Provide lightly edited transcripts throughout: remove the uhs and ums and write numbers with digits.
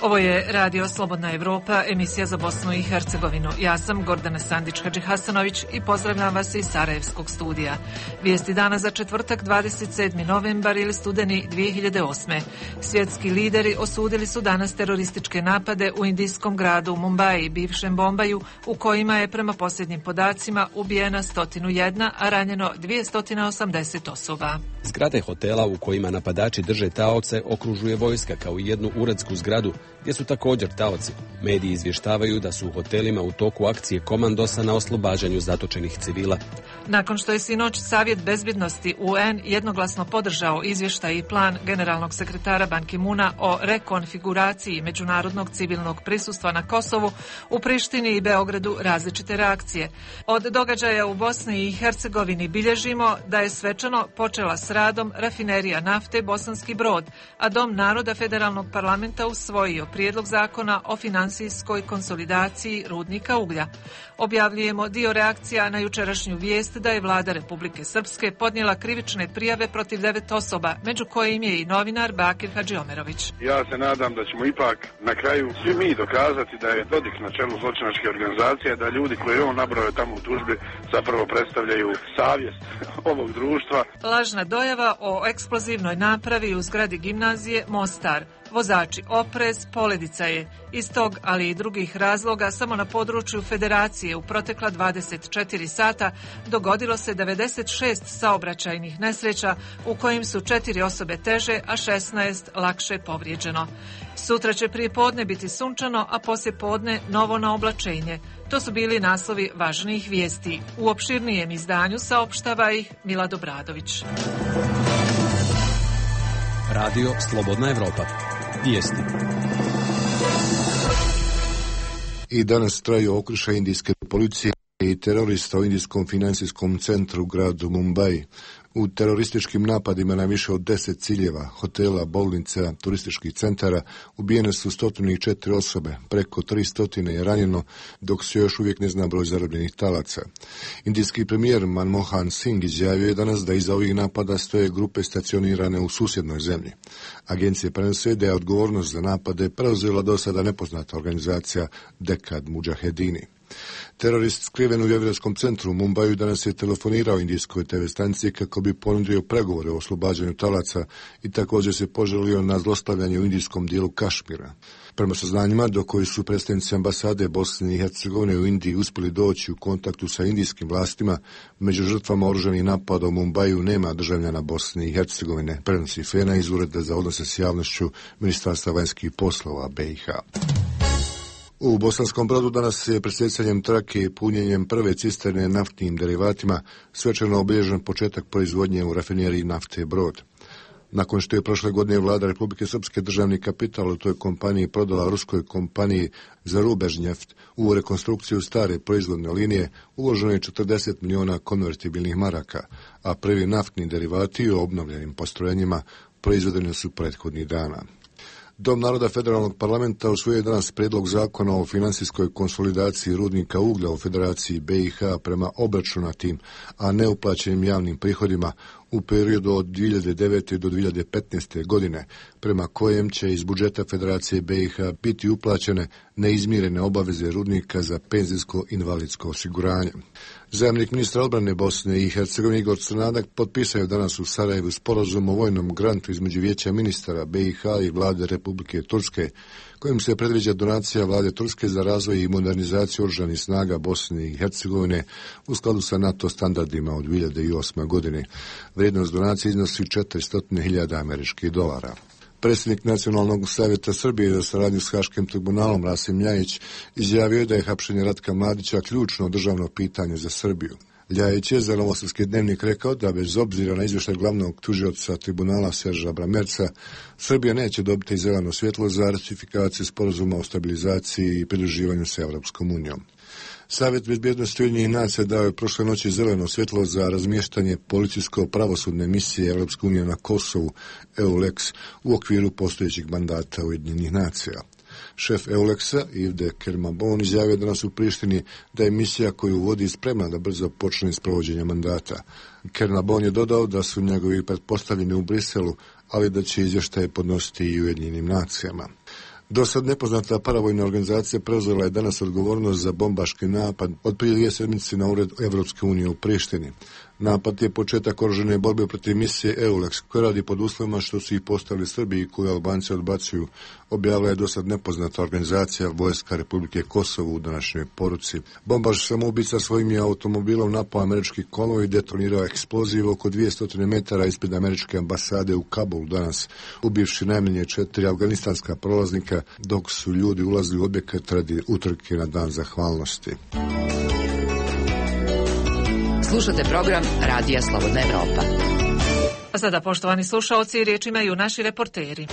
Ovo je Radio Slobodna Evropa, emisija za Bosnu i Hercegovinu. Ja sam Gordana Sandić-Hadžihasanović i pozdravljam vas iz Sarajevskog studija. Vijesti dana za četvrtak 27. novembar ili studeni 2008. Svjetski lideri osudili su danas terorističke napade u indijskom gradu Mumbai, bivšem Bombaju, u kojima je prema posljednjim podacima ubijena 101, a ranjeno 280 osoba. Zgrade hotela u kojima napadači drže taoce okružuje vojska kao i jednu uredsku zgradu gdje su također taoci. Mediji izvještavaju da su u hotelima u toku akcije komandosa na oslobađanju zatočenih civila. Nakon što je sinoć Savjet bezbjednosti UN jednoglasno podržao izvještaj i plan generalnog sekretara Ban Ki-moona o rekonfiguraciji međunarodnog civilnog prisustva na Kosovu, u Prištini i Beogradu različite reakcije. Od događaja u Bosni i Hercegovini bilježimo da je svečano počela s radom rafinerija nafte Bosanski Brod, a Dom naroda Federalnog parlamenta usvojio prijedlog zakona o finansijskoj konsolidaciji rudnika uglja. Objavljujemo dio reakcija na jučerašnju vijest da je vlada Republike Srpske podnijela krivične prijave protiv 9 osoba, među kojim je i novinar Bakir Hadžiomerović. Ja se nadam da ćemo ipak na kraju svi mi dokazati da je Dodik na čelu zločinačke organizacije, da ljudi koji on nabrojao tamo u tužbi zapravo predstavljaju savjest ovog društva. Lažna dojava o eksplozivnoj napravi u zgradi gimnazije Mostar. Vozači oprez, poledica je. Iz tog, ali i drugih razloga, samo na području Federacije u protekla 24 sata dogodilo se 96 saobraćajnih nesreća u kojim su 4 osobe teže, a 16 lakše povrijeđeno. Sutra će prije podne biti sunčano, a poslije podne novo na oblačenje. To su bili naslovi važnijih vijesti. U opširnijem izdanju saopštava ih Milad Obradović. Radio Slobodna Evropa. Vijesti. I danas traju okršaj indijske policije i terorista u indijskom financijskom centru u gradu Mumbai. U terorističkim napadima na više od 10 ciljeva, hotela, bolnica, turističkih centara ubijene su 104 osobe, preko 300 je ranjeno, dok se još uvijek ne zna broj zarobljenih talaca. Indijski premijer Manmohan Singh izjavio je danas da iza ovih napada stoje grupe stacionirane u susjednoj zemlji. Agencije prenose da je odgovornost za napade preuzela do sada nepoznata organizacija Dekad Mujahedini. Terorist skriven u vjerovskom centru u Mumbaju danas je telefonirao indijskoj TV stanici kako bi ponudio pregovore o oslobađanju talaca i također se poželio na zlostavljanje u indijskom dijelu Kašmira. Prema saznanjima do koji su predstavnici ambasade Bosne i Hercegovine u Indiji uspjeli doći u kontaktu sa indijskim vlastima, među žrtvama oružanih napada u Mumbaju nema državljana Bosne i Hercegovine, prenosi Fena iz Ureda za odnose s javnošću Ministarstva vanjskih poslova BiH. U Bosanskom Brodu danas je presjecanjem trake i punjenjem prve cisterne naftnim derivatima svečano obilježen početak proizvodnje u rafineriji nafte Brod. Nakon što je prošle godine vlada Republike Srpske državni kapital u toj kompaniji prodala ruskoj kompaniji Zarubežnjeft u rekonstrukciju stare proizvodne linije, uloženo je 40 miliona konvertibilnih maraka, a prvi naftni derivati u obnovljenim postrojenjima proizvedeni su prethodnih dana. Dom naroda Federalnog parlamenta usvojio je danas prijedlog zakona o finansijskoj konsolidaciji rudnika uglja u Federaciji BiH prema obračunatim, a neuplaćenim javnim prihodima u periodu od 2009. do 2015. godine, prema kojem će iz budžeta Federacije BiH biti uplaćene neizmirene obaveze rudnika za penzijsko-invalidsko osiguranje. Zamjenik ministra odbrane Bosne i Hercegovine Igor Crnadak potpisao je danas u Sarajevu sporazum o vojnom grantu između Vijeća ministara BiH i vlade Republike Turske, kojim se predviđa donacija vlade Turske za razvoj i modernizaciju oružanih snaga Bosne i Hercegovine u skladu sa NATO standardima od 2008. godine. Vrijednost donacije iznosi $400.000 američkih dolara. Predsjednik Nacionalnog savjeta Srbije za saradnju s Haškim tribunalom Rasim Ljajić izjavio da je hapšenje Ratka Mladića ključno državno pitanje za Srbiju. Ljajić je za Novosavski dnevnik rekao da bez obzira na izvještaj glavnog tužioca tribunala Serža Bramerca, Srbija neće dobiti zeleno svjetlo za ratifikaciju sporazuma o stabilizaciji i pridruživanju sa Europskom unijom. Savjet bezbjednosti Ujedinjenih nacija dao je prošle noći zeleno svjetlo za razmještanje policijsko-pravosudne misije Europske unije na Kosovu, EULEX, u okviru postojećeg mandata Ujedinjenih nacija. Šef EULEX-a, Yves Kermabon, izjavio danas u Prištini da je misija koju vodi spremna da brzo počne s provođenjem mandata. Kermabon je dodao da su njegovi pretpostavljeni u Briselu, ali da će izvještaje podnositi i Ujedinjenim nacijama. Do sad nepoznata paravojna organizacija preuzela je danas odgovornost za bombaški napad od prije 2 sedmice na ured Evropske unije u Prištini. Napad je početak oružane borbe protiv misije EULEX, koja radi pod uslovima što su ih postavili Srbi i koju Albanci odbacuju, objavila je dosad nepoznata organizacija Vojska Republike Kosovo u današnjoj poruci. Bombaš samoubica svojim je automobilom napao američki konvoj i detonirao eksploziv oko 200 metara ispred američke ambasade u Kabulu danas, ubivši najmanje 4 afganistanska prolaznika dok su ljudi ulazili u objekat radi utrke na dan zahvalnosti. Slušate program Radija Slobodna Evropa. A sada, poštovani slušaoci, riječ imaju naši reporteri.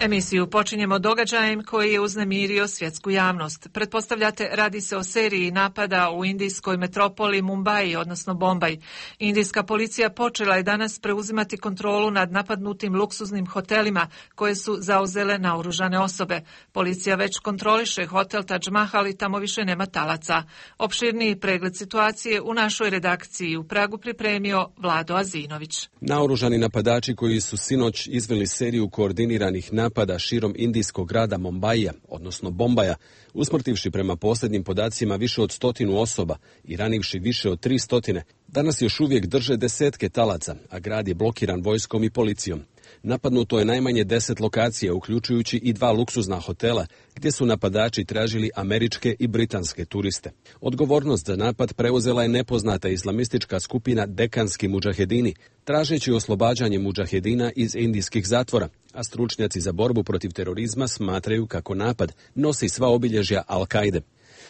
Emisiju počinjemo događajem koji je uznemirio svjetsku javnost. Pretpostavljate, radi se o seriji napada u indijskoj metropoli Mumbai, odnosno Bombaj. Indijska policija počela je danas preuzimati kontrolu nad napadnutim luksuznim hotelima koje su zauzele naoružane osobe. Policija već kontroliše hotel Taj Mahal i tamo više nema talaca. Opširniji pregled situacije u našoj redakciji u Pragu pripremio Vlado Azinović. Naoružani napadači koji su sinoć izveli seriju koordiniranih napada širom indijskog grada Mumbaija, odnosno Bombaja, usmrtivši prema posljednjim podacima više od 100 osoba i ranivši više od 300, danas još uvijek drže desetke talaca, a grad je blokiran vojskom i policijom. Napadnuto je najmanje 10 lokacija, uključujući i 2 luksuzna hotela, gdje su napadači tražili američke i britanske turiste. Odgovornost za napad preuzela je nepoznata islamistička skupina Dekanski mudžahedini, tražeći oslobađanje mudžahedina iz indijskih zatvora, a stručnjaci za borbu protiv terorizma smatraju kako napad nosi sva obilježja Al-Kaide.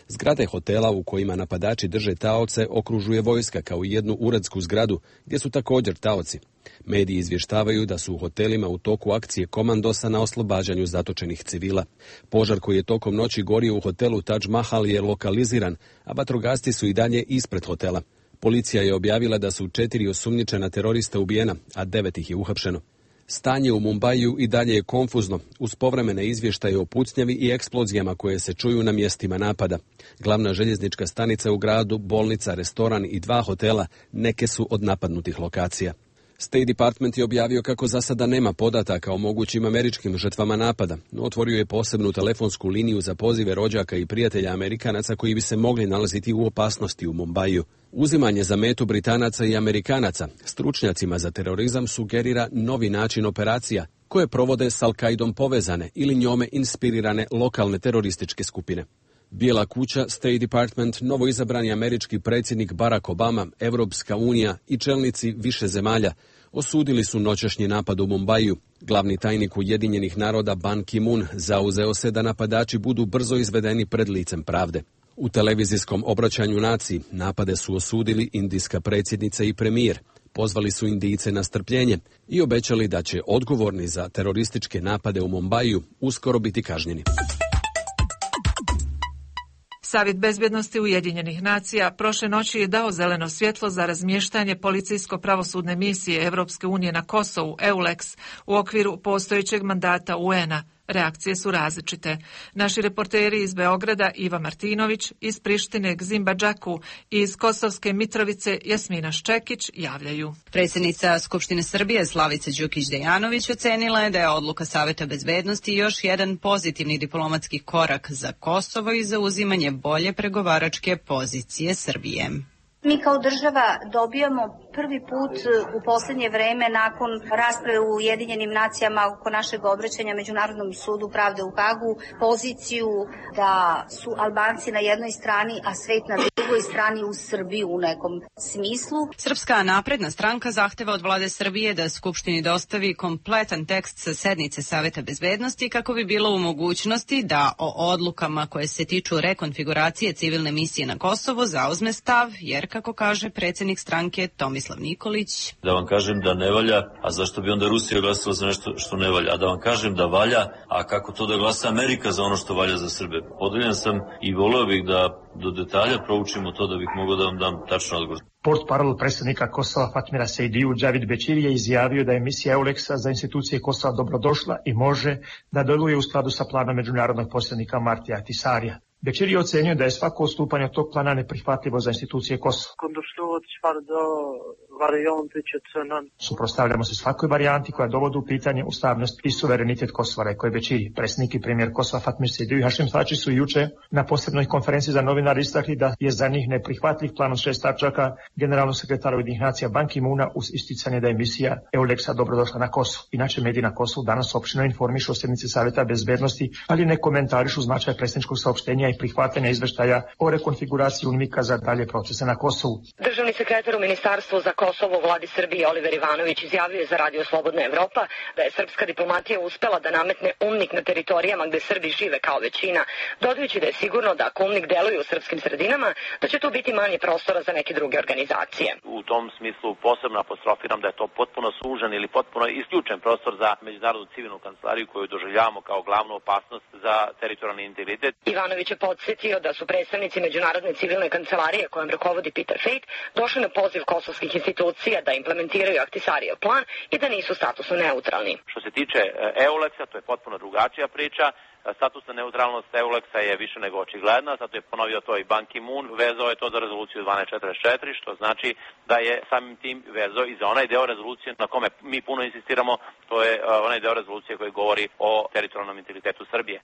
Zgrade hotela u kojima napadači drže taoce okružuje vojska kao i jednu uredsku zgradu gdje su također taoci. Mediji izvještavaju da su u hotelima u toku akcije komandosa na oslobađanju zatočenih civila. Požar koji je tokom noći gorio u hotelu Taj Mahal je lokaliziran, a vatrogasci su i dalje ispred hotela. Policija je objavila da su 4 osumnjičena terorista ubijena, a 9 ih je uhapšeno. Stanje u Mumbaju i dalje je konfuzno, uz povremene izvještaje o pucnjavi i eksplozijama koje se čuju na mjestima napada. Glavna željeznička stanica u gradu, bolnica, restoran i 2 hotela neke su od napadnutih lokacija. State Department je objavio kako za sada nema podataka o mogućim američkim žrtvama napada, no otvorio je posebnu telefonsku liniju za pozive rođaka i prijatelja Amerikanaca koji bi se mogli nalaziti u opasnosti u Mumbaju. Uzimanje za metu Britanaca i Amerikanaca stručnjacima za terorizam sugerira novi način operacija koje provode s Al-Kaidom povezane ili njome inspirirane lokalne terorističke skupine. Bijela kuća, State Department, novoizabrani američki predsjednik Barack Obama, Evropska unija i čelnici više zemalja osudili su noćašnji napad u Mumbaju. Glavni tajnik Ujedinjenih naroda Ban Ki-moon zauzeo se da napadači budu brzo izvedeni pred licem pravde. U televizijskom obraćanju naciji napade su osudili indijska predsjednica i premijer. Pozvali su Indijce na strpljenje i obećali da će odgovorni za terorističke napade u Mumbaju uskoro biti kažnjeni. Savjet bezbjednosti Ujedinjenih nacija prošle noći je dao zeleno svjetlo za razmještanje policijsko-pravosudne misije Evropske unije na Kosovu, EULEX, u okviru postojećeg mandata UN-a. Reakcije su različite. Naši reporteri iz Beograda Iva Martinović, iz Prištine Gzimba Džaku i iz Kosovske Mitrovice Jasmina Ščekić javljaju. Predsjednica Skupštine Srbije Slavica Đukić-Dejanović ocenila je da je odluka Savjeta bezbednosti još jedan pozitivni diplomatski korak za Kosovo i za uzimanje bolje pregovaračke pozicije Srbije. Mi kao država dobijamo prvi put u posljednje vreme nakon rasprave u Ujedinjenim nacijama oko našeg obraćanja Međunarodnom sudu pravde u Hagu poziciju da su Albanci na jednoj strani, a svet na drugoj strani uz Srbiju u nekom smislu. Srpska napredna stranka zahteva od vlade Srbije da Skupštini dostavi kompletan tekst sa sednice Savjeta bezbednosti kako bi bilo u mogućnosti da o odlukama koje se tiču rekonfiguracije civilne misije na Kosovo zauzme stav, jer kako kaže predsjednik stranke Tomislav Nikolić. Da vam kažem da ne valja, a zašto bi onda Rusija glasala za nešto što ne valja? A da vam kažem da valja, a kako to da glasa Amerika za ono što valja za Srbe? Podeljen sam i voleo bih da do detalja proučimo to da bih mogao da vam dam tačno odgovor. Portparol predsjednika Kosova Fatmira Sejdiju Džavid Bećiri je izjavio da je misija EULEX-a za institucije Kosova dobrodošla i može da djeluje u skladu sa planom međunarodnog posrednika Martija Ahtisarija. Bećiri je ocenio da je svako odstupanje od tog plana neprihvatljivo za institucije Kosova. Suprotstavljamo se svakoj varijanti koja dovodi u pitanje ustavnost i suverenitet Kosova, rekao je Bećiri. Predsjednik i premijer Kosova Fatmir Sejdiu i Hašim Tači su juče na posebnoj konferenciji za novinare istakli da je za njih neprihvatljiv plan od 6 tačaka generalnog sekretara Ujedinjenih nacija Ban Ki-moona uz isticanje da je misija EULEX-a dobrodošla na Kosovo. Inače, mediji na Kosovu danas opširno informišu o sjednici Savjeta bezbednosti, ali ne komentarišu značaj predsjedničkog saopštenja i prihvatanja izveštaja o rekonfiguraciji UNMIK-a za dalje procese na Kosovu. Državni sekretar u Ministarstvu za Kosovo u vladi Srbije Oliver Ivanović izjavio je za Radio Slobodna Evropa da je srpska diplomatija uspela da nametne UNMIK na teritorijama gde Srbi žive kao većina, dodajući da je sigurno da ako UNMIK deluje u srpskim sredinama, da će tu biti manje prostora za neke druge organizacije. U tom smislu posebno apostrofiram da je to potpuno sužen ili potpuno isključen prostor za međunarodnu civilnu kancelariju koju doživljavamo kao glavnu opasnost za teritorijalni integritet. Ivanović je podsjetio da su predstavnici međunarodne civilne kancelarije kojom rukovodi Peter Fejt došli na poziv kosovskih institucija da implementiraju Ahtisarijev plan i da nisu statusno neutralni. Što se tiče EULEX-a, to je potpuno drugačija priča. Statusna neutralnost EULEX-a je više nego očigledna, zato je ponovio to i Ban Ki-moon, vezao je to za rezoluciju 1244, što znači da je samim tim vezao i za onaj deo rezolucije na kome mi puno insistiramo, to je onaj deo rezolucije koji govori o teritorijalnom integritetu Srbije.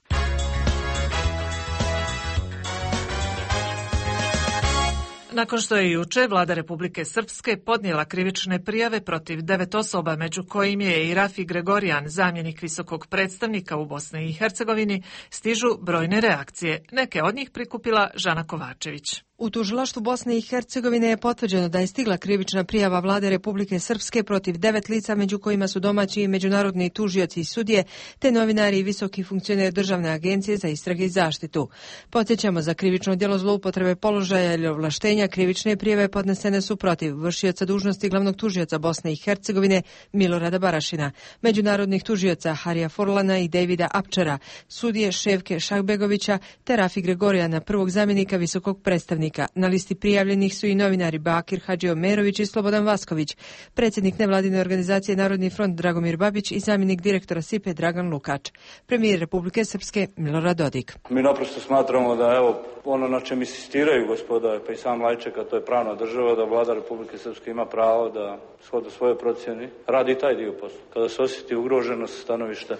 Nakon što je juče vlada Republike Srpske podnijela krivične prijave protiv 9 osoba, među kojim je i Rafi Gregorijan, zamjenik visokog predstavnika u Bosni i Hercegovini, stižu brojne reakcije. Neke od njih prikupila Žana Kovačević. U tužilaštvu Bosne i Hercegovine je potvrđeno da je stigla krivična prijava vlade Republike Srpske protiv 9 lica, među kojima su domaći i međunarodni tužioci i sudije, te novinari i visoki funkcioner Državne agencije za istrage i zaštitu. Podsjećamo, za krivično djelo zloupotrebe položaja ili ovlaštenja krivične prijave podnesene su protiv vršioca dužnosti glavnog tužioca Bosne i Hercegovine Milorada Barašina, međunarodnih tužioca Harija Forlana i Davida Apčara, sudije Ševke Šahbegovića te Rafi Gregorijana, prvog zamjenika visokog predstavnika. Na listi prijavljenih su i novinari Bakir Hadžiomerović i Slobodan Vasković, predsjednik nevladine organizacije Narodni front Dragomir Babić i zamjenik direktora SIPE Dragan Lukač. Premijer Republike Srpske Milorad Dodik. Mi naprosto smatramo da ono na čem insistiraju gospoda pa i sam Lajček, a to je pravna država, da vlada Republike Srpske ima pravo da shodno svoje procjeni radi taj dio posla. Kada se osjeti ugroženost stanovišta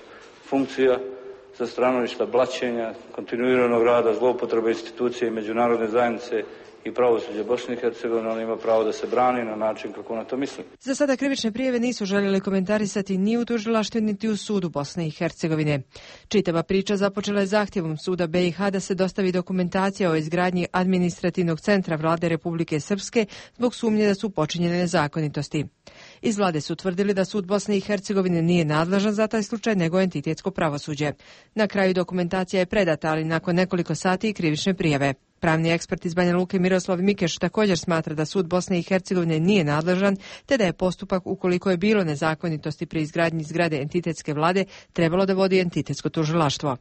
funkcija, sa stanovišta blaćenja, kontinuiranog rada, zloupotrebe institucije i međunarodne zajednice i pravosuđe Bosne i Hercegovine, on ima pravo da se brani na način kako na to misli. Za sada krivične prijave nisu željeli komentarisati ni u tužilaštvu niti u sudu Bosne i Hercegovine. Čitava priča započela je zahtjevom suda BiH da se dostavi dokumentacija o izgradnji administrativnog centra vlade Republike Srpske zbog sumnje da su počinjene nezakonitosti. Iz vlade su tvrdili da sud Bosne i Hercegovine nije nadležan za taj slučaj, nego entitetsko pravosuđe. Na kraju dokumentacija je predata, ali nakon nekoliko sati i krivične prijave. Pravni ekspert iz Banja Luke Miroslav Mikeš također smatra da sud Bosne i Hercegovine nije nadležan, te da je postupak, ukoliko je bilo nezakonitosti pri izgradnji zgrade entitetske vlade, trebalo da vodi entitetsko tužilaštvo.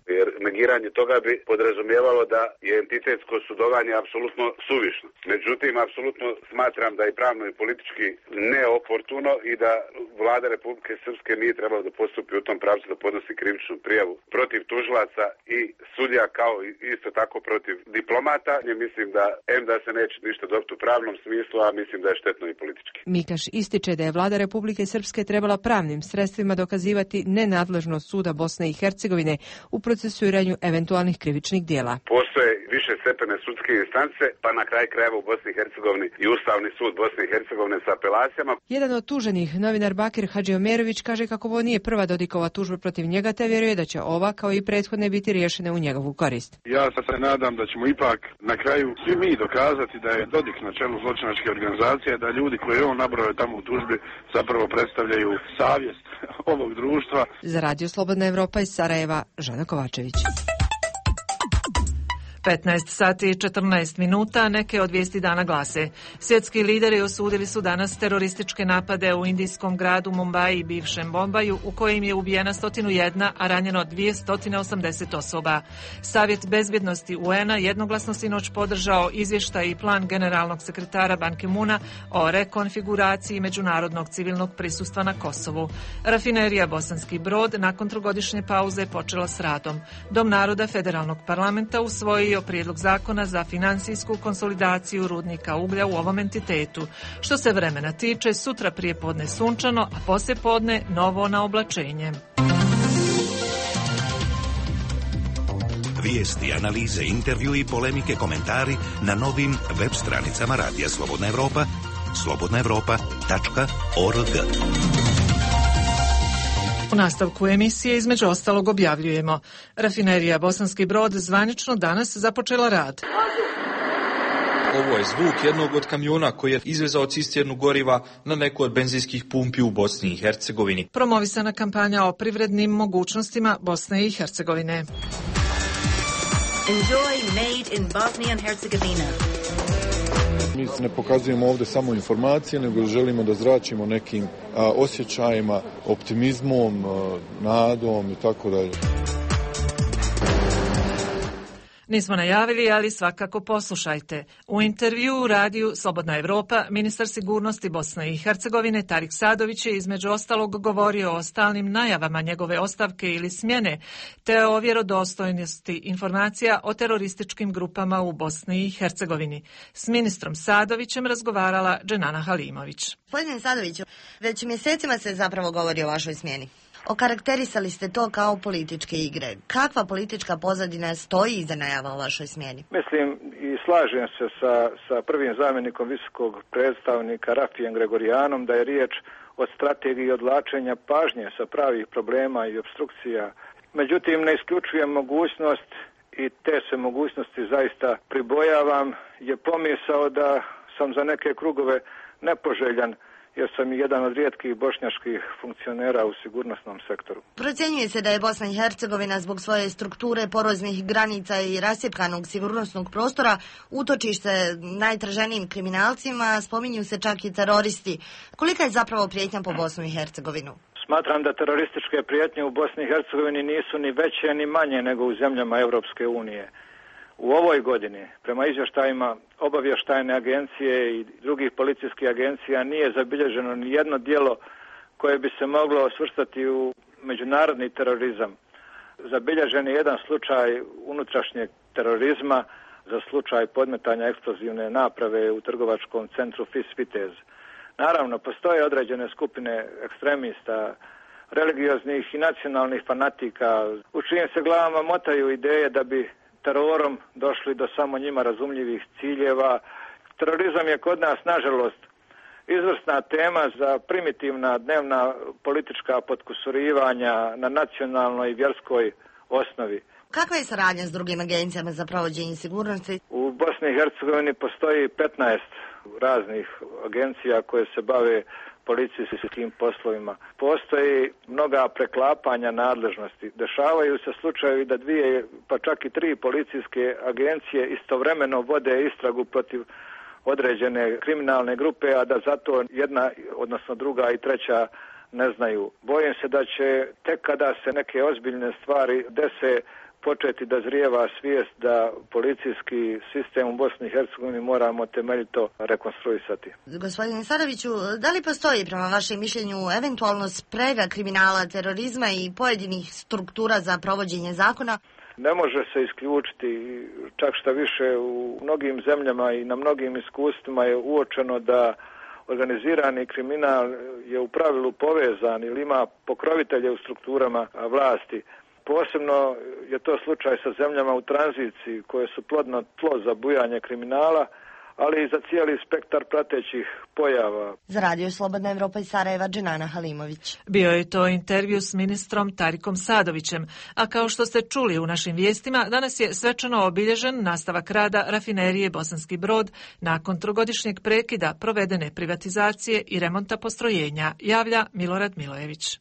Negiranje toga bi podrazumijevalo da je entitetsko sudovanje apsolutno suvišno. Međutim, apsolutno smatram da je pravno i politički neoportuno i da vlada Republike Srpske nije trebala da postupi u tom pravcu da podnosi krivičnu prijavu protiv tužilaca i sudija, kao isto tako protiv diplomata. Mislim da se neće ništa dobiti u pravnom smislu, a mislim da je štetno i politički. Mikaš ističe da je vlada Republike Srpske trebala pravnim sredstvima dokazivati nenadležnost suda Bosne i Hercegovine u procesuiranju eventualnih krivičnih dijela. Postoje više stepene sudske instance, pa na kraj krajeva u Bosni i Hercegovini i Ustavni sud Bosne i Hercegovine sa apelacijama. Jedan od tuženih, novinar Bakir Hadžiomerović, kaže kako ovo nije prva Dodikova tužba protiv njega, te vjeruje da će ova, kao i prethodne, biti riješene u njegovu korist. Ja se nadam da ćemo ipak na kraju svi mi dokazati da je Dodik na čelu zločinačke organizacije, da ljudi koje on nabrojao tamo u tužbi zapravo predstavljaju savjest ovog društva. Za Radio Slobodna Evropa iz Sarajeva, Žana Kovačević. 15 sati i 14 minuta, neke od vijesti dana glase. Svjetski lideri osudili su danas terorističke napade u indijskom gradu Mumbai i bivšem Bombaju, u kojim je ubijena 101, a ranjeno 280 osoba. Savjet bezbjednosti UN-a jednoglasno sinoć podržao izvještaj i plan generalnog sekretara Ban Ki-moona o rekonfiguraciji međunarodnog civilnog prisustva na Kosovu. Rafinerija Bosanski Brod nakon trogodišnje pauze počela s radom. Dom naroda federalnog parlamenta usvojio najavio prijedlog zakona za financijsku konsolidaciju rudnika uglja u ovom entitetu. Što se vremena tiče, sutra prije podne sunčano, a poslije podne novo na oblačenje. Vijesti, analize, intervju i polemike, komentari na novim web stranicama Radija Slobodna Evropa, slobodnaevropa.org. U nastavku emisije između ostalog objavljujemo: Rafinerija Bosanski Brod zvanično danas započela rad. Ovo je zvuk jednog od kamiona koji je izvezao cisternu goriva na neku od benzinskih pumpi u Bosni i Hercegovini. Promovisana kampanja o privrednim mogućnostima Bosne i Hercegovine. Enjoy Made in Bosnia and Herzegovina. Mi ne pokazujemo ovdje samo informacije, nego želimo da zračimo nekim osjećajima, optimizmom, nadom i tako dalje. Nismo najavili, ali svakako poslušajte. U intervju u radiju Slobodna Evropa ministar sigurnosti Bosne i Hercegovine Tarik Sadović je između ostalog govorio o stalnim najavama njegove ostavke ili smjene, te o vjerodostojnosti informacija o terorističkim grupama u Bosni i Hercegovini. S ministrom Sadovićem razgovarala Dženana Halimović. Gospodine Sadoviću, već mjesecima se zapravo govori o vašoj smjeni. Okarakterisali ste to kao političke igre. Kakva politička pozadina stoji iza najava o vašoj smjeni? Mislim i slažem se sa prvim zamjenikom visokog predstavnika Rafijem Gregorijanom da je riječ o strategiji odvlačenja pažnje sa pravih problema i opstrukcija. Međutim, ne isključujem mogućnost i te se mogućnosti zaista pribojavam, je pomisao da sam za neke krugove nepoželjan, jer sam i jedan od rijetkih bošnjačkih funkcionera u sigurnosnom sektoru. Procjenjuje se da je Bosna i Hercegovina zbog svoje strukture, poroznih granica i rascjepkanog sigurnosnog prostora utočište najtraženijim kriminalcima, spominju se čak i teroristi. Kolika je zapravo prijetnja po Bosnu i Hercegovinu? Smatram da terorističke prijetnje u Bosni i Hercegovini nisu ni veće ni manje nego u zemljama Europske unije. U ovoj godini, prema izvještajima obavještajne agencije i drugih policijskih agencija, nije zabilježeno ni jedno djelo koje bi se moglo svrstati u međunarodni terorizam. Zabilježen je jedan slučaj unutrašnjeg terorizma za slučaj podmetanja eksplozivne naprave u trgovačkom centru FIS Vitez. Naravno, postoje određene skupine ekstremista, religioznih i nacionalnih fanatika, u čijim se glavama motaju ideje da bi terorom došli do samo njima razumljivih ciljeva. Terorizam je kod nas, nažalost, izvrsna tema za primitivna dnevna politička potkusurivanja na nacionalnoj i vjerskoj osnovi. Kakva je saradnja s drugim agencijama za provođenje sigurnosti? U Bosni i Hercegovini postoji 15 raznih agencija koje se bave policijskim poslovima. Postoji mnoga preklapanja nadležnosti. Dešavaju se slučajevi da 2 pa čak i 3 policijske agencije istovremeno vode istragu protiv određene kriminalne grupe, a da zato jedna, odnosno druga i treća ne znaju. Bojim se da će tek kada se neke ozbiljne stvari dese početi da zrijeva svijest da policijski sistem u Bosni i Hercegovini moramo temeljito rekonstruisati. Gospodine Sadoviću, da li postoji prema vašem mišljenju eventualno sprega kriminala, terorizma i pojedinih struktura za provođenje zakona? Ne može se isključiti, čak šta više u mnogim zemljama i na mnogim iskustvima je uočeno da organizirani kriminal je u pravilu povezan ili ima pokrovitelje u strukturama vlasti. Posebno je to slučaj sa zemljama u tranziciji koje su plodno tlo za bujanje kriminala, ali i za cijeli spektar pratećih pojava. Za Radio Slobodna Evropa iz Sarajeva, Dženana Halimović. Bio je to intervju s ministrom Tarikom Sadovićem, a kao što ste čuli u našim vijestima, danas je svečano obilježen nastavak rada Rafinerije Bosanski Brod nakon 3-godišnjeg prekida provedene privatizacije i remonta postrojenja, javlja Milorad Milojević.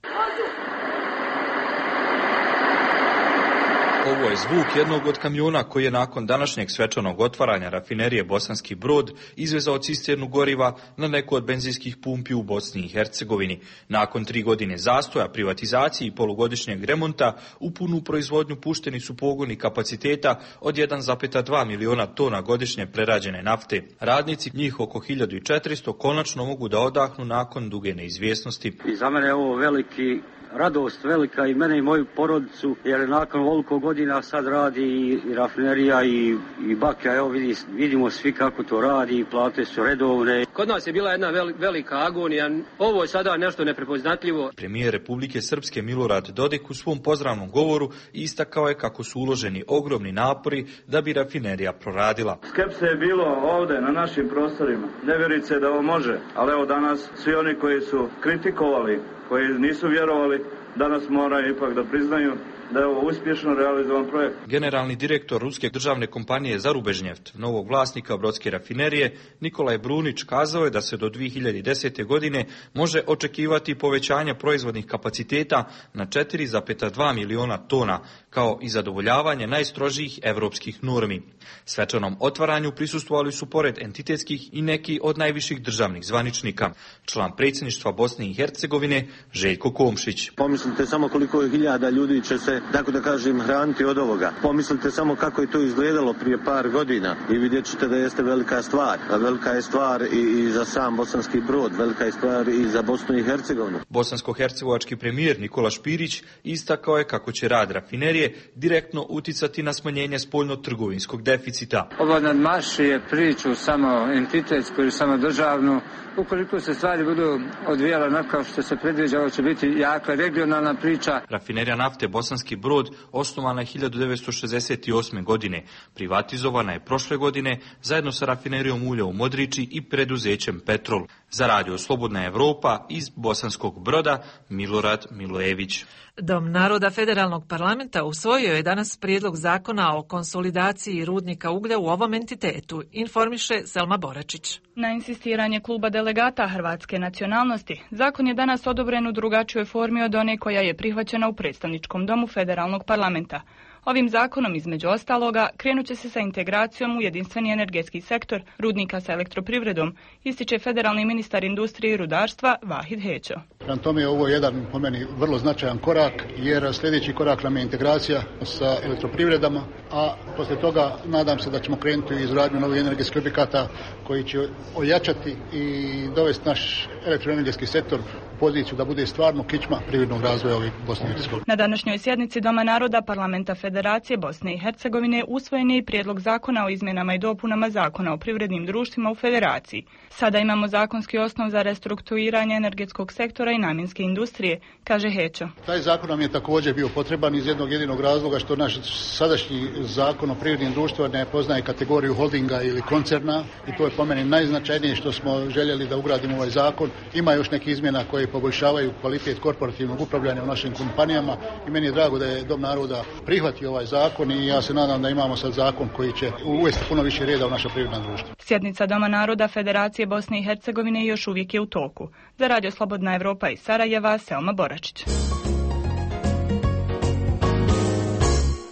Ovo je zvuk jednog od kamiona koji je nakon današnjeg svečanog otvaranja rafinerije Bosanski Brod izvezao cisternu goriva na neku od benzinskih pumpi u Bosni i Hercegovini. Nakon 3 godine zastoja, privatizacije i polugodišnjeg remonta, u punu proizvodnju pušteni su pogoni kapaciteta od 1,2 miliona tona godišnje prerađene nafte. Radnici, njih oko 1400, konačno mogu da odahnu nakon duge neizvjesnosti. I za mene je ovo veliki radost velika i mene i moju porodicu, jer nakon ovoliko godina sad radi i rafinerija i bakja, evo vidimo svi kako to radi i plate su redovne. Kod nas je bila jedna velika agonija, ovo je sada nešto neprepoznatljivo. Premijer Republike Srpske Milorad Dodik u svom pozdravnom govoru istakao je kako su uloženi ogromni napori da bi rafinerija proradila. Skepse je bilo ovde na našim prostorima. Ne vjerujte se da ovo može, ali evo danas svi oni koji su kritikovali, koji nisu vjerovali, danas moraju ipak da priznaju da je ovo uspješno realizovan projekt. Generalni direktor ruske državne kompanije Zarubežnjeft, novog vlasnika brodske rafinerije, Nikolaj Brunić, kazao je da se do 2010. godine može očekivati povećanje proizvodnih kapaciteta na 4,2 miliona tona, kao i zadovoljavanje najstrožijih evropskih normi. Svečanom otvaranju prisustvovali su pored entitetskih i neki od najviših državnih zvaničnika. Član predsjedništva Bosne i Hercegovine Željko Komšić. Pomislite samo koliko hiljada ljudi će se, tako da kažem, hraniti od ovoga. Pomislite samo kako je to izgledalo prije par godina i vidjet ćete da jeste velika stvar. A velika je stvar i za sam Bosanski Brod, velika je stvar i za Bosnu i Hercegovinu. Bosansko-hercegovački premijer Nikola Špirić istakao je kako će rad rafinerije direktno uticati na smanjenje spoljno-trgovinskog deficita. Ovo nadmašuje priču samo entitetsku ili samo državnu. Ukoliko se stvari budu odvijale onako što se predviđa, ovo će biti jaka regionalna priča. Rafinerija nafte Bosanski Brod osnovana je 1968. godine. Privatizovana je prošle godine zajedno sa rafinerijom ulja u Modriči i preduzećem Petrol. Za radio Slobodna Evropa iz Bosanskog Broda Milorad Milojević. Dom naroda Federalnog parlamenta usvojio je danas prijedlog zakona o konsolidaciji rudnika uglja u ovom entitetu, informiše Selma Boračić. Na insistiranje kluba delegata hrvatske nacionalnosti, zakon je danas odobren u drugačijoj formi od one koja je prihvaćena u predstavničkom domu Federalnog parlamenta. Ovim zakonom, između ostaloga, krenut će se sa integracijom u jedinstveni energetski sektor rudnika sa elektroprivredom, ističe federalni ministar industrije i rudarstva Vahid Hećo. Prema tome je ovo jedan, po meni, vrlo značajan korak, jer sljedeći korak nam je integracija sa elektroprivredama, a poslije toga nadam se da ćemo krenuti u izgradnju novih energetskih objekata koji će ojačati i dovesti naš elektroenergetski sektor u poziciju da bude stvarno kičma privrednog razvoja ovih Bosne i Hercegovine. Na današnjoj sjednici Doma naroda Parlamenta Federacije Bosne i Hercegovine usvojen je i prijedlog zakona o izmjenama i dopunama zakona o privrednim društvima u Federaciji. Sada imamo zakonski osnov za restrukturiranje energetskog sektora i namjenske industrije, kaže Hećo. Taj zakon nam je također bio potreban iz jednog jedinog razloga što naš sadašnji zakon o privrednim društvima ne poznaje kategoriju holdinga ili koncerna i to je po meni najznačajnije što smo željeli da ugradimo ovaj zakon. Ima još nekih izmjena koje poboljšavaju kvalitet korporativnog upravljanja u našim kompanijama i meni je drago da je Dom naroda prihvatio ovaj zakon i ja se nadam da imamo sad zakon koji će uvesti puno više reda u naša privredna društva. Sjednica Doma naroda Federacije Bosne i Hercegovine još uvijek je u toku. Za radio Slobodna Evropa iz Sarajeva, Selma Boračić.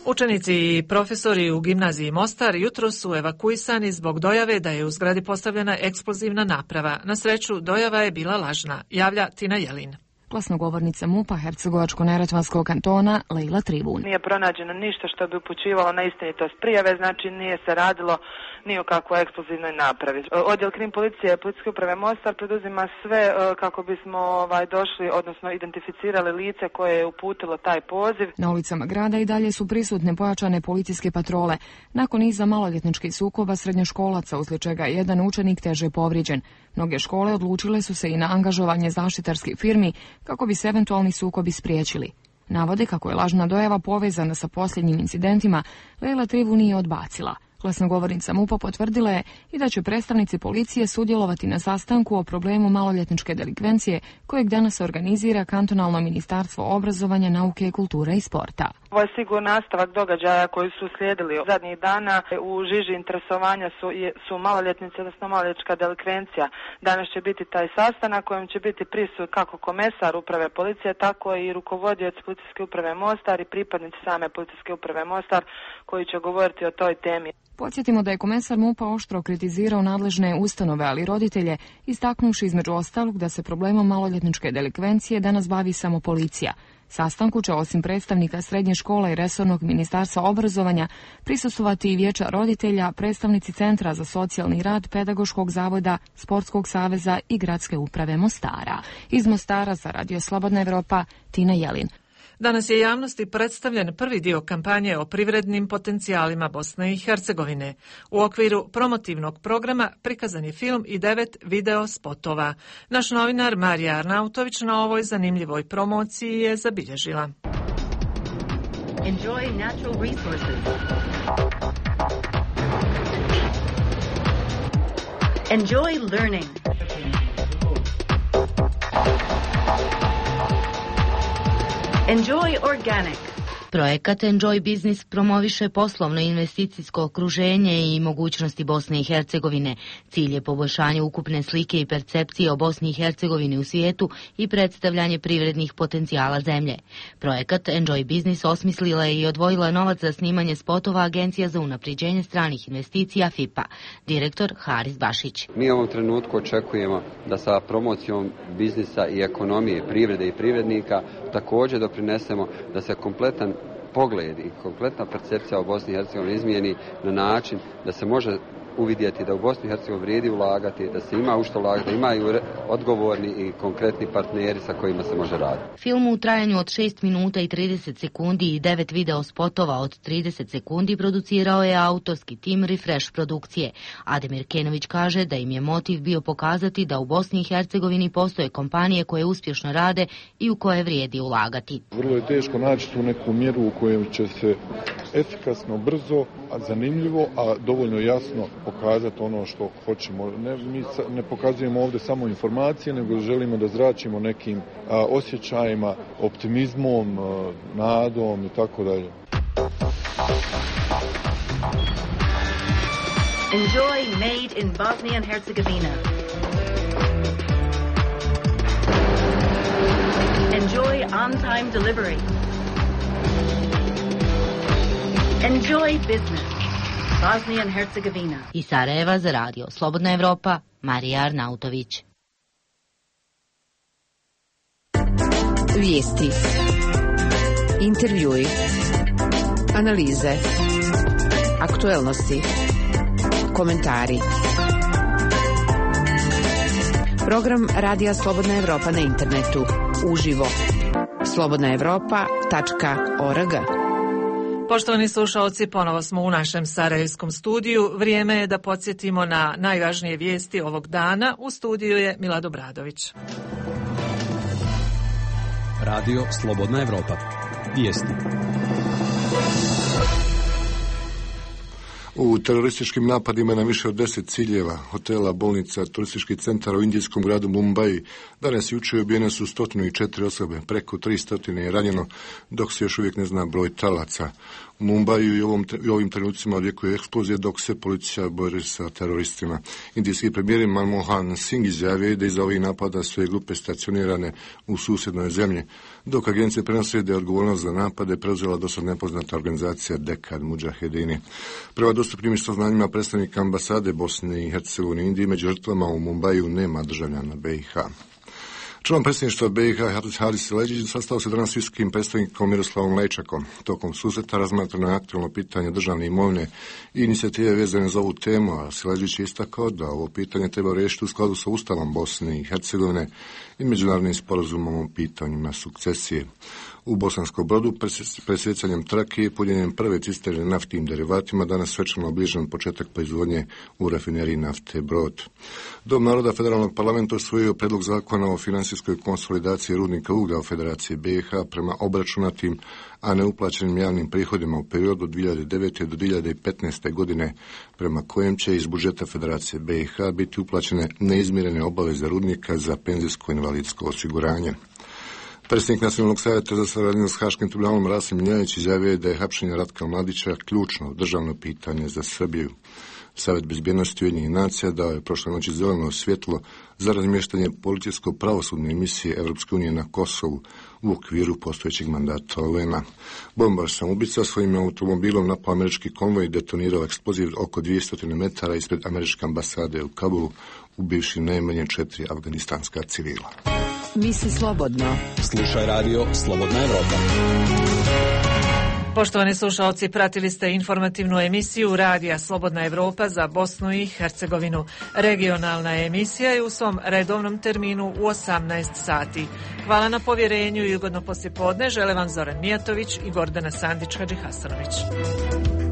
Učenici i profesori u gimnaziji Mostar jutros su evakuisani zbog dojave da je u zgradi postavljena eksplozivna naprava. Na sreću, dojava je bila lažna, javlja Tina Jelin. Glasnogovornica MUP-a Hercegovačko-neretvanskog kantona Lejla Tribun. Nije pronađeno ništa što bi upućivalo na istinitost prijave, znači nije se radilo ni o kakvoj eksplozivnoj napravi. Odjel krim policije Policijske uprave Mostar preduzima sve kako bismo došli, odnosno identificirali lice koje je uputilo taj poziv. Na ulicama grada i dalje su prisutne pojačane policijske patrole. Nakon niza maloljetničkih sukoba srednjoškolaca, uslijed čega je jedan učenik teže povrijeđen. Mnoge škole odlučile su se i na angažovanje zaštitarskih firmi kako bi se eventualni sukobi spriječili. Navode kako je lažna dojava povezana sa posljednjim incidentima, Lejla Trivu nije odbacila. Glasnogovornica MUP-a potvrdila je i da će predstavnici policije sudjelovati na sastanku o problemu maloljetničke delikvencije kojeg danas organizira Kantonalno ministarstvo obrazovanja, nauke, kulture i sporta. Ovo je sigurno nastavak događaja koji su slijedili zadnjih dana. U žiži interesovanja su maloljetnice, odnosno maloljetnička delikvencija. Danas će biti taj sastanak kojem će biti prisut kako komesar uprave policije, tako i rukovodioc Policijske uprave Mostar i pripadnici same Policijske uprave Mostar koji će govoriti o toj temi. Podsjetimo da je komesar MUP-a oštro kritizirao nadležne ustanove, ali i roditelje, istaknuvši između ostalog da se problemom maloljetničke delikvencije danas bavi samo policija. Sastanku će osim predstavnika srednje škole i resornog ministarstva obrazovanja prisustvovati i vijeća roditelja, predstavnici Centra za socijalni rad, Pedagoškog zavoda, Sportskog saveza i Gradske uprave Mostara. Iz Mostara za Radio Slobodna Evropa, Tina Jelin. Danas je javnosti predstavljen prvi dio kampanje o privrednim potencijalima Bosne i Hercegovine. U okviru promotivnog programa prikazan je film i 9 video spotova. Naš novinar Marija Arnautović na ovoj zanimljivoj promociji je zabilježila. Enjoy natural resources. Enjoy learning. Enjoy organic. Projekat Enjoy Business promoviše poslovno investicijsko okruženje i mogućnosti Bosne i Hercegovine. Cilj je poboljšanje ukupne slike i percepcije o Bosni i Hercegovini u svijetu i predstavljanje privrednih potencijala zemlje. Projekat Enjoy Business osmislila je i odvojila novac za snimanje spotova Agencija za unapređenje stranih investicija FIPA. Direktor Haris Bašić. Mi u ovom trenutku očekujemo da sa promocijom biznisa i ekonomije, privrede i privrednika također doprinesemo da se kompletan pogled i kompletna percepcija o Bosni i Hercegovini izmijeni na način da se može uvidjeti da u Bosni i Hercegovini vrijedi ulagati, da se ima u što ulagati, da imaju odgovorni i konkretni partneri sa kojima se može raditi. Film u trajanju od 6 minuta i 30 sekundi i 9 video spotova od 30 sekundi producirao je autorski tim Refresh produkcije. Ademir Kenović kaže da im je motiv bio pokazati da u Bosni i Hercegovini postoje kompanije koje uspješno rade i u koje vrijedi ulagati. Vrlo je teško naći tu neku mjeru u kojoj će se efikasno, brzo, a zanimljivo, a dovoljno jasno pokazati ono što hoćemo. Mi ne pokazujemo ovdje samo informacije, nego želimo da zračimo nekim osjećajima, optimizmom, nadom i tako dalje. Enjoy made in Bosnia and Herzegovina. Enjoy on-time delivery. Enjoy business. Bosnia and Herzegovina. Iz Sarajeva za Radio Slobodna Evropa, Marija Arnautović. Vijesti. Intervjui. Analize. Aktuelnosti. Komentari. Program Radija Slobodna Evropa na internetu. Uživo. slobodnaevropa.org. Poštovani slušalci, ponovo smo u našem sarajevskom studiju. Vrijeme je da podsjetimo na najvažnije vijesti ovog dana. U studiju je Milad Obradović. Radio Slobodna Evropa. Vijesti. U terorističkim napadima na više od 10 ciljeva, hotela, bolnica, turističkih centara u indijskom gradu Mumbai, danas i jučer ubijene su 104 osobe, preko 300 je ranjeno, dok se još uvijek ne zna broj talaca. U Mumbaju i ovim trenucima odjekuje eksplozije dok se policija bori sa teroristima. Indijski premijer Manmohan Singh izjavio da iza ovih napada sve grupe stacionirane u susjednoj zemlji, dok agencije prenose da je odgovornost za napade preuzela dosad nepoznata organizacija Dekad Mudžahedini. Prema dostupnim saznanjima predstavnika ambasade Bosne i Hercegovine i Indije među žrtvama u Mumbaju nema državljana BiH. Član predsjedništva BiH Haris Siledžić sastao se danas s visokim predstavnikom Miroslavom Lajčakom. Tokom susreta razmatrano je aktualno pitanje državne imovine i inicijative vezane za ovu temu, a Siledžić je istakao da ovo pitanje treba riješiti u skladu sa Ustavom Bosne i Hercegovine i međunarodnim sporazumom o pitanjima sukcesije. U Bosanskom Brodu presjecanjem trake i punjenjem prve cisterne naftnim derivatima danas svečano obližen početak proizvodnje u rafineriji nafte Brod. Dom naroda Federalnog parlamenta usvojio predlog zakona o finansijskoj konsolidaciji rudnika uglja u Federaciji BiH prema obračunatim, a neuplaćenim javnim prihodima u periodu od 2009. do 2015. godine, prema kojem će iz budžeta Federacije BiH biti uplaćene neizmirene obaveze rudnika za penzijsko invalidsko osiguranje. Predsjednik Nacionalnog savjeta za saradnju s Haškim tribunalom Rasim Ljajić izjavio da je hapšenje Ratka Mladića ključno državno pitanje za Srbiju. Savjet bezbjednosti Ujedinjenih nacija dao je prošle noći zeleno svjetlo za razmještanje policijsko-pravosudne misije Evropske unije na Kosovu u okviru postojećeg mandata UN-a. Bombar samoubica svojim automobilom napao američki konvoj i detonirao eksploziv oko 200 metara ispred američke ambasade u Kabulu, ubivši najmanje 4 afganistanska civila. Misli slobodno. Slušaj radio Slobodna Evropa. Poštovani slušalci, pratili ste informativnu emisiju Radija Slobodna Evropa za Bosnu i Hercegovinu. Regionalna emisija je u svom redovnom terminu u 18 sati. Hvala na povjerenju i ugodno poslijepodne žele vam Zoran Mijatović i Gordana Sandić-Hadžihasanović.